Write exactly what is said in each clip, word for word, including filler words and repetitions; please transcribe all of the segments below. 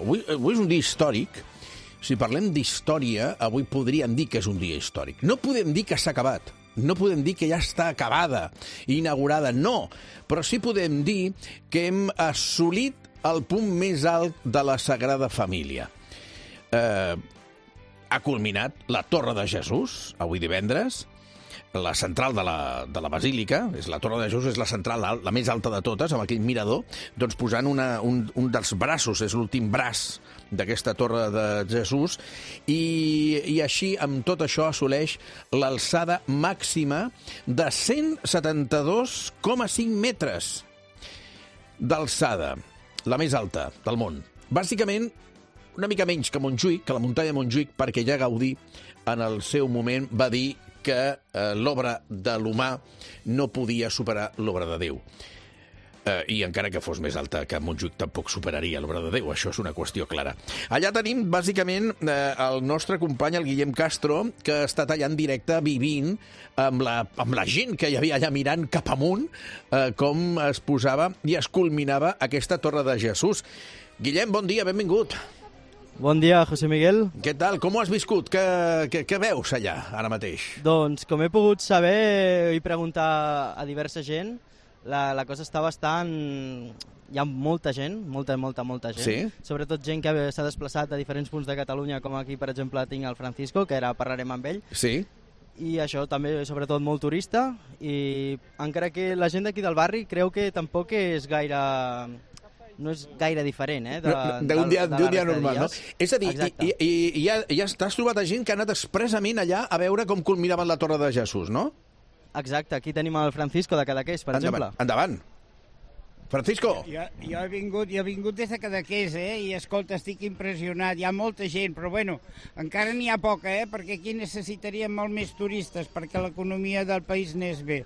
avui, avui és un dia històric. Si parlem d'història, avui podríem dir que és un dia històric. No podem dir que s'ha acabat. No podem dir que ja està acabada, inaugurada, no. Però sí podem dir que hem assolit el punt més alt de la Sagrada Família. Eh, ha culminat la Torre de Jesús, avui divendres, la central de la, de la Basílica, és la Torre de Jesús, és la central, la, la més alta de totes, amb aquell mirador, doncs posant una, un, un dels braços, és l'últim braç d'aquesta Torre de Jesús, i, i així, amb tot això, assoleix l'alçada màxima de cent setanta-dos coma cinc metres d'alçada, la més alta del món. Bàsicament, una mica menys que Montjuïc, que la muntanya de Montjuïc, perquè ja Gaudí, en el seu moment, va dir que eh, l'obra de l'humà no podia superar l'obra de Déu. Eh, I encara que fos més alta que Montjuïc tampoc superaria l'obra de Déu, això és una qüestió clara. Allà tenim, bàsicament, eh, el nostre company, el Guillem Castro, que ha estat allà en directe vivint amb la, amb la gent que hi havia allà mirant cap amunt, eh, com es posava i es culminava aquesta Torre de Jesús. Guillem, bon dia, benvingut. Bon dia, José Miguel. Què tal? Com ho has viscut? Què, què, què veus allà, ara mateix? Doncs, com he pogut saber i preguntar a diversa gent, la, la cosa està bastant... Hi ha molta gent, molta, molta, molta gent. Sí? Sobretot gent que s'ha desplaçat a diferents punts de Catalunya, com aquí, per exemple, tinc el Francisco, que ara parlarem amb ell. Sí? I això també, sobretot, molt turista. I encara que la gent d'aquí del barri creu que tampoc és gaire... no és gaire diferent, eh? D'un dia, de dia normal, no? És a dir, Exacte. i, i, i ja, ja t'has trobat a gent que ha anat expressament allà a veure com culminaven la Torre de Jesús, no? Exacte, aquí tenim el Francisco de Cadaqués, per Endavant, exemple. endavant. Francisco. Jo, jo, he vingut, jo he vingut des de Cadaqués, eh? I escolta, estic impressionat. Hi ha molta gent, però bueno, encara n'hi ha poca, eh? Perquè aquí necessitaríem molt més turistes perquè l'economia del país anés bé.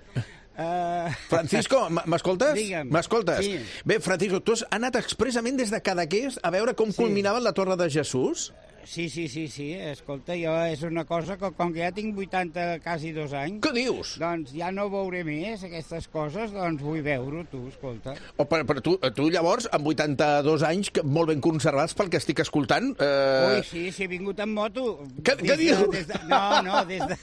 Uh... Francisco, m'escoltes? Digue'm. M'escoltes? Sí. Bé, Francisco, tu has anat expressament des de Cadaqués a veure com Sí. culminaven la Torre de Jesús? Sí, sí, sí, sí, escolta, jo és una cosa que com que ja tinc vuitanta, quasi dos anys, Què dius? doncs ja no veuré més aquestes coses, doncs vull veure-ho, tu, escolta. Oh, però, però tu, tu llavors, amb vuitanta-dos anys, que molt ben conservats pel que estic escoltant... Eh... Ui, sí, sí, he vingut en moto. Què- Des què de- dius? des de- No, no, des de,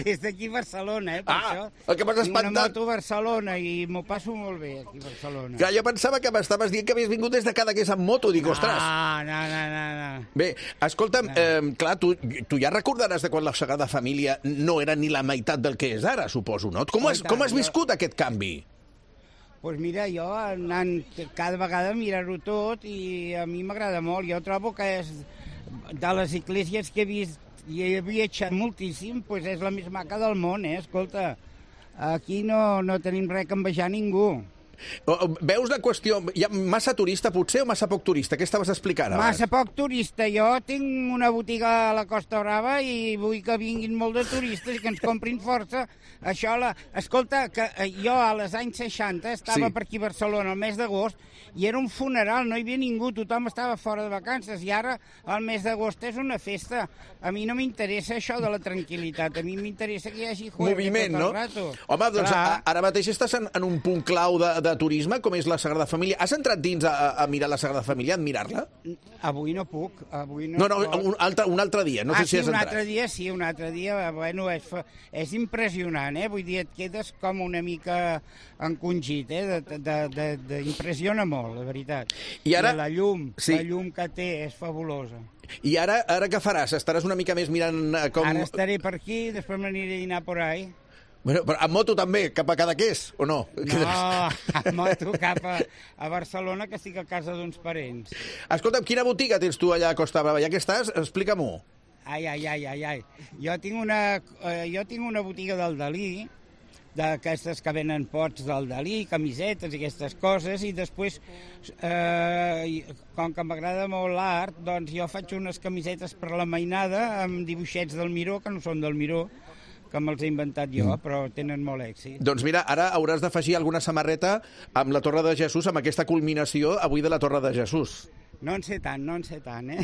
des d'aquí a Barcelona, eh, per Ah, això. el que m'has Tinc una espantat. moto a Barcelona i m'ho passo molt bé aquí a Barcelona. Que jo pensava que m'estaves dient que havies vingut des de Cadaqués amb moto. Dic, ostres... Ah, no, no, no, no. Bé, escolta'm, eh, clar, tu, tu ja recordaràs de quan la Sagrada Família no era ni la meitat del que és ara, suposo, no? Com Oh, has, i tant, com has jo- viscut aquest canvi? Doncs pues mira, jo anant cada vegada a mirar-ho tot i a mi m'agrada molt. Jo trobo que és de les esglésies que he vist i he viatjat moltíssim, pues és la més maca del món, eh? Escolta, aquí no, no tenim res que envejar ningú. O- o- Veus la qüestió... Hi ha massa turista, potser, o massa poc turista? Què estaves explicant abans? Massa poc turista. Jo tinc una botiga a la Costa Brava i vull que vinguin molt de turistes i que ens comprin força. Això, la... escolta, que eh, jo a les anys seixanta estava Sí. per aquí a Barcelona el mes d'agost i era un funeral, no hi havia ningú, tothom estava fora de vacances i ara el mes d'agost és una festa. A mi no m'interessa això de la tranquil·litat, a mi m'interessa que hi hagi juerga Moviment, tot el no? rato. Home, doncs Clar. a, ara mateix estàs en, en un punt clau de, de turisme, com és la Sagrada Família. Has entrat dins a, a mirar la Sagrada Família, a admirar-la? Avui no puc, avui no. No, no, un altre, un altre dia, no ah, sé si sí, has un entrat. altre dia, sí, un altre dia, bueno, és, fa- és impressionant, eh? Vull dir, et quedes com una mica encongit, eh? De, de, de, de, impressiona molt, la veritat. I ara- la llum, Sí. la llum que té és fabulosa. I ara, ara què faràs? Estaràs una mica més mirant eh, com... Ara estaré per aquí, després m'aniré a dinar por ahí. Bueno, però amb moto també, cap a Cadaqués, o no? No, amb moto cap a, a Barcelona, que estic a casa d'uns parents. Escolta'm, quina botiga tens tu allà a Costa Brava? Ja que estàs, explica-m'ho. Ai, ai, ai, ai, ai. Jo tinc una, eh, jo tinc una botiga del Dalí, d'aquestes que venen pots del Dalí, camisetes i aquestes coses, i després, eh, com que m'agrada molt l'art, doncs jo faig unes camisetes per la mainada amb dibuixets del Miró, que no són del Miró, que me'ls he inventat jo, mm. però tenen molt èxit. Doncs mira, ara hauràs d'afegir alguna samarreta amb la Torre de Jesús, amb aquesta culminació avui de la Torre de Jesús. No en sé tant, no en sé tant, eh?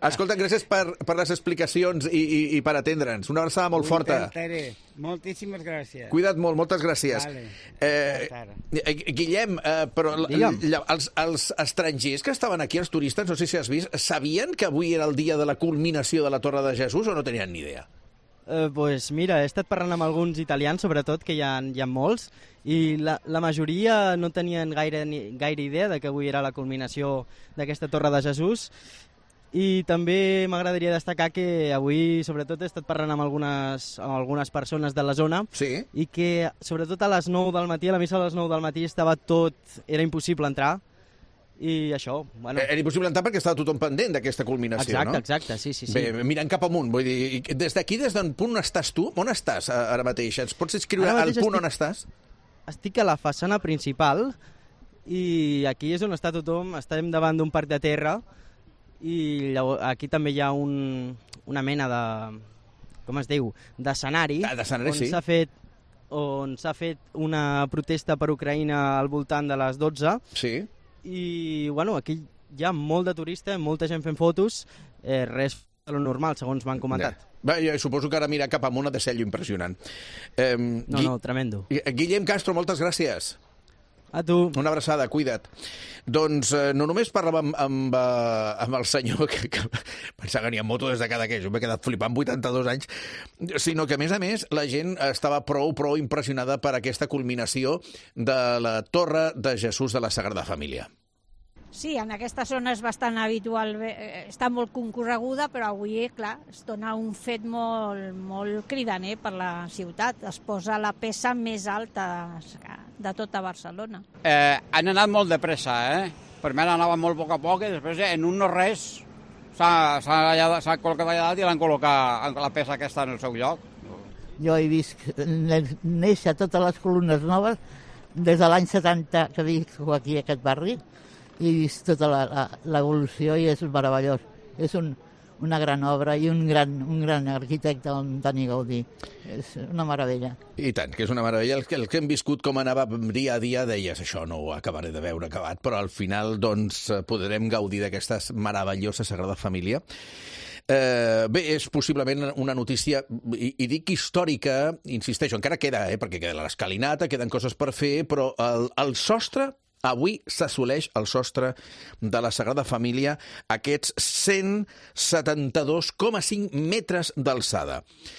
Escolta, gràcies per, per les explicacions i, i, i per atendre'ns. Una abraçada molt Ho forta. intentaré. Moltíssimes gràcies. Cuida't molt, moltes gràcies. Vale. Eh, eh, Guillem, eh, però l- Digue'm. l- els, els estrangers que estaven aquí, els turistes, no sé si has vist, sabien que avui era el dia de la culminació de la Torre de Jesús o no tenien ni idea? Eh, pues mira, he estat parlant amb alguns italians, sobretot, que hi ha, hi ha molts, i la, la majoria no tenien gaire, ni, gaire idea de que avui era la culminació d'aquesta Torre de Jesús. I també m'agradaria destacar que avui, sobretot, he estat parlant amb algunes, amb algunes persones de la zona Sí. i que, sobretot a les nou del matí, a la missa a les nou del matí, estava tot... era impossible entrar. I això, bueno... Era impossible entrar perquè estava tothom pendent d'aquesta culminació, Exacte, no? exacte, sí, sí, sí. Bé, mirant cap amunt, vull dir, i des d'aquí, des d'on punt estàs tu? On estàs a- ara mateix? Ens pots escriure Ara al mateix punt estic- on estàs? Estic a la façana principal i aquí és on està tothom, estem davant d'un parc de terra i llavors, aquí també hi ha un, una mena de, com es diu, d'escenari Ah, d'escenari, on sí. s'ha fet on s'ha fet una protesta per Ucraïna al voltant de les dotze Sí. i bueno, aquí hi ha molt de turista, molta gent fent fotos, eh, res de lo normal, segons m'han comentat. Bé, jo suposo que ara mirar cap amunt ha de ser allò impressionant. Eh, No, no, tremendo. Guillem Castro, moltes gràcies. A tu. Una abraçada, cuida't. Doncs eh, no només parlàvem amb, amb, eh, amb el senyor que, que pensava que n'hi ha moto des de cada que jo m'he quedat flipant vuitanta-dos anys, sinó que, a més a més, la gent estava prou, prou impressionada per aquesta culminació de la Torre de Jesús de la Sagrada Família. Sí, en aquesta zona és bastant habitual, eh, està molt concorreguda, però avui, clar, es dona un fet molt, molt cridaner per la ciutat. Es posa la peça més alta de tota Barcelona. Eh, han anat molt de pressa, eh? Primer anava molt a poc a poc i després eh, en un no res s'ha s'ha col·locat allà dalt i l'han col·locat la peça aquesta en el seu lloc. Jo he vist néixer totes les columnes noves des de l'any setanta que visc aquí a aquest barri i he vist tota l'evolució i és meravellós. És un, una gran obra i un gran, un gran arquitecte, en Dani Gaudí. És una meravella. I tant, que és una meravella. El que, el que hem viscut com anava dia a dia, deies, això no ho acabaré de veure acabat, però al final doncs, podrem gaudir d'aquesta meravellosa Sagrada Família. Eh, bé, és possiblement una notícia, i, i dic històrica, insisteixo, encara queda, eh, perquè queda l'escalinata, queden coses per fer, però el, el sostre, avui s'assoleix el sostre de la Sagrada Família, aquests cent setanta-dos coma cinc metres d'alçada.